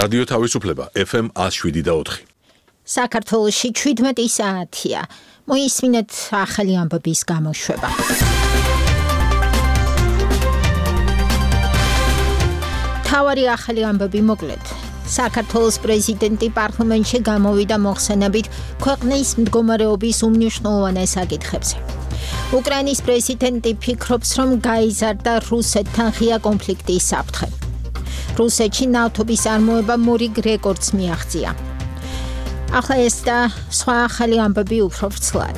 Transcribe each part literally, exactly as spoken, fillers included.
რადიო თავისუფლება F M one oh seven და four. საქართველოში seventeen საათია. მოისმინეთ ახალი ამბების გამოშვება. თავარი ახალი ამბები მოკლედ. საქართველოს პრეზიდენტი პარლამენტში გამოვიდა მოხსენებით ქვეყნის მდგომარეობის უმნიშვნელოვანეს საკითხებზე. უკრაინის პრეზიდენტი ფიქრობს, რომ გაიზარდა რუსეთთან ღია კონფლიქტის საფრთხე. რუსეთში ნავთობის წარმოება მორიგ რეკორდს მიაღწია. ახლა ეს და სხვა ახალი ამბები უფრო ვრცლად.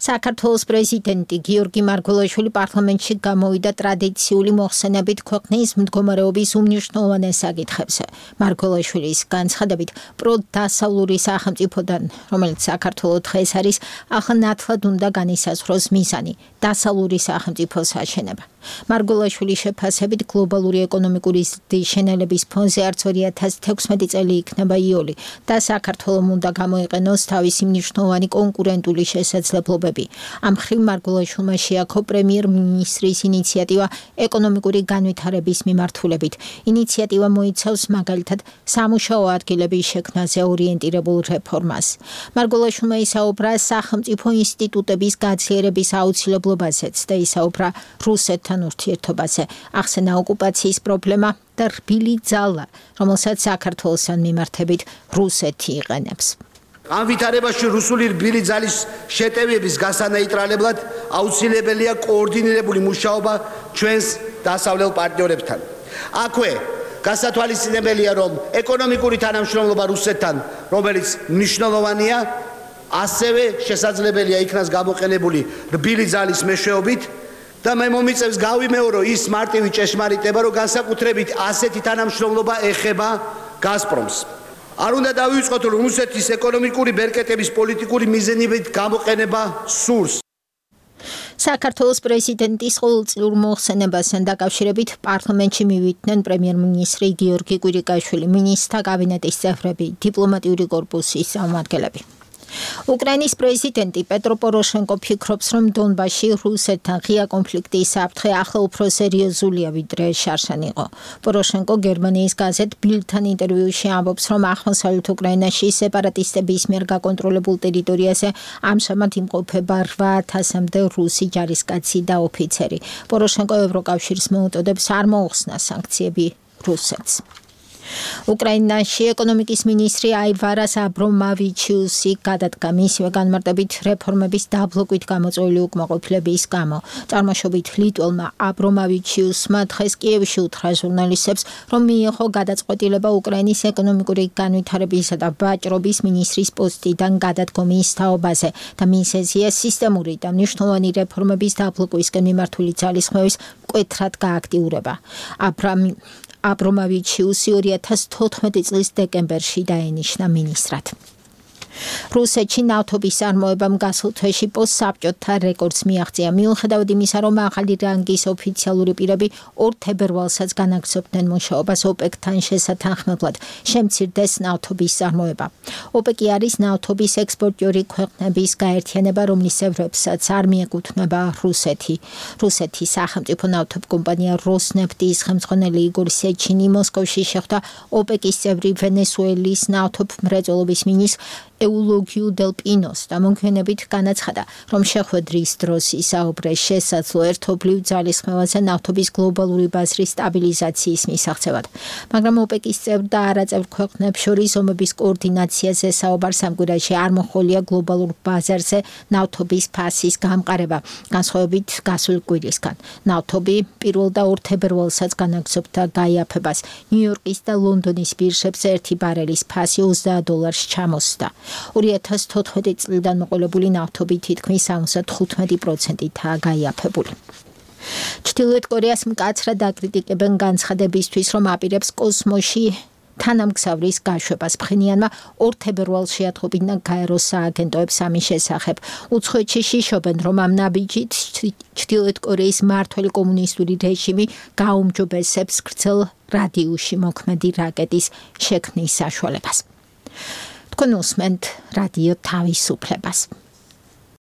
საქართველოს პრეზიდენტი გიორგი მარგველაშვილი პარლამენტში გამოვიდა ტრადიციული მოხსენებით ქვეყნის მდგომარეობის უმნიშვნელოვანეს საკითხებზე. მარგველაშვილის განცხადებით, პროდასავლური სახელმწიფოდან, რომელიც საქართველოს დღეს არის, ახლა ნათლად უნდა განისაზღვროს მიზანი, დასავლური სახელმწიფოს აშენება. მარგველაშვილის შეფასებით, გლობალური ეკონომიკური ზრდის შენელების ფონზე არც two thousand sixteen წელი იქნება იოლი და საქართველოს უნდა გამოიყენოს თავისი მნიშვნელოვანი კონკურენტული შესაძლებლობები. ამ მხრივ მარგველაშვილმა შეაქო პრემიერ-მინისტრის ინიციატივა ეკონომიკური განვითარების მიმართულებით. ინიციატივა მოიცავს მაგალითად სამუშაო ადგილების შექმნაზე ორიენტირებულ რეფორმას. მარგველაშვილმა ისაუბრა სახელმწიფო ინსტიტუტების გაძლიერების აუცილებლობაზეც და ისაუბრა რუსეთთან ურთიერთობაზე. ახსენა ოკუპაციის პრობლემა და რბილი ძალა, რომელსაც საქართველოსთან მიმართებით რუსეთი იყენებს. ამ ვითარებაში რუსული რბილი ძალის შეტევების გასანეიტრალებლად აუცილებელია კოორდინირებული მუშაობა ჩვენს დასავლელ პარტნიორებთან. აქვე გასათვალისწინებელია, რომ ეკონომიკური თანამშრომლობა რუსეთთან, რომელიც მნიშვნელოვანია, ასევე შესაძლებელია იქნას გამოყენებული რბილი ძალის მეშვეობით და მე მომიწევს გავიმეორო ის მარტივი ჭეშმარიტება, რომ განსაკუთრებით ასეთი თანამშრომლობა ეხება გაზპრომს. არ უნდა დავიწყოთ, რომ რუსეთის ეკონომიკური ბერკეტების პოლიტიკური მიზნებით გამოყენება სურს. საქართველოს პრეზიდენტის ყოველწლიურ მოხსენებასთან დაკავშირებით პარლამენტში მივიდნენ პრემიერ-მინისტრი გიორგი კვირიკაშვილი, მინისტრთა კაბინეტის წევრები, დიპლომატიური კორპუსის წარმომადგენლები. უკრაინის პრეზიდენტი პეტრო პოროშენკო ფიქრობს, რომ დონბასში რუსეთთან ღია კონფლიქტის საფრთხე ახლა უფრო სერიოზულია, ვიდრე შარშან იყო. პოროშენკო გერმანიის გაზეთ ბილდთან ინტერვიუში ამბობს, რომ აღმოსავლეთ უკრაინაში სეპარატისტების მიერ გაკონტროლებულ ტერიტორიაზე ამჟამად იმყოფება eight thousand-მდე რუსი ჯარისკაცი და ოფიცერი. პოროშენკო ევროკავშირს მოუწოდებს არ მოუხსნას სანქციები რუსეთს. უკრაინაში ეკონომიკის მინისტრი აივარას აბრომავიჩიუსი გადადგა მისივე განმარტებით რეფორმების დაბლოკვით გამოწვეული უკმაყოფილების გამო. წარმოშობით ლიტველმა აბრომავიჩიუსმა დღეს კიევში უთხრა ჟურნალისტებს, რომ მიიღო გადაწყვეტილება უკრაინის ეკონომიკური განვითარებისა და ვაჭრობის მინისტრის პოსტიდან გადადგომის თაობაზე და მისეზია სისტემური და მნიშვნელოვანი რეფორმების დაბლოკვისკენ მიმართული ძალისხმევის მკვეთრად გააქტიურება. აბრამი აბრომავიჩიუსი two thousand fourteen წლის დეკემბერში დაენიშნა მინისტრად. რუსეთში ნავთობის წარმოებამ გასულ თვეში პოსტსაბჭოთა რეკორდს მიაღწია. მიუხედავად იმისა, რომ ახალი რანგის ოფიციალური პირები ორ თებერვალსაც განაგრძობდნენ მუშაობას ოპეკთან შესათანხმებლად, შემცირდეს ნავთობის წარმოება. ოპეკი არის ნავთობის ექსპორტიორი ქვეყნების გაერთიანება, რომლის წევრებსაც არ მიეკუთვნება რუსეთი. რუსეთის სახელმწიფო ნავთობკომპანია როსნეფტის ხელმძღვანელი იგორ სეჩინი მოსკოვში შეხვდა ოპეკის წევრი ვენესუელის ნავთობმრეწველობის მინისტრს ეულოგიუ დელ პინოს და მოგვიანებით განაცხადა, რომ შეხვედრის დროს ისაუბრეს შესაძლო ერთობლივ ძალისხმევაზე ნავთობის გლობალური ბაზრის სტაბილიზაციის მისაღწევად. მაგრამ ოპეკის წევრ და არაწევრ ქვეყნებს შორის ომების კოორდინაციაზე საუბარს ამ კვირაში არ მოჰყოლია გლობალურ ბაზარზე ნავთობის ფასის გამყარება, განსხვავებით გასული კვირისგან. ნავთობი პირველ და ორ თებერვალსაც განაგრძობდა გაიაფებას. ნიუ-იორკის და ლონდონის ბირჟებზე ერთი ბარელის ფასი ოცდაათ დოლარს ჩამოსდა. two thousand fourteen წლიდან მოყოლებული ნავთობი თითქმის seventy-five პროცენტითაა გაიაფებული. ჩრდილოეთ კორეას მკაცრად აკრიტიკებენ განცხადებისთვის, რომ აპირებს კოსმოსში თანამგზავრის გაშვებას. ფხენიანმა ორ თებერვალს შეატყობინა გაეროს სააგენტოებს ამის შესახებ. უცხოეთში შიშობენ, რომ ამ ნაბიჯით ჩრდილოეთ კორეის მმართველი კომუნისტური რეჟიმი გაუმჯობესებს გრძელ რადიუსში მოქმედი რაკეტის შექმნის საშუალებას. თქვენ უსმენთ რადიო თავისუფლებას.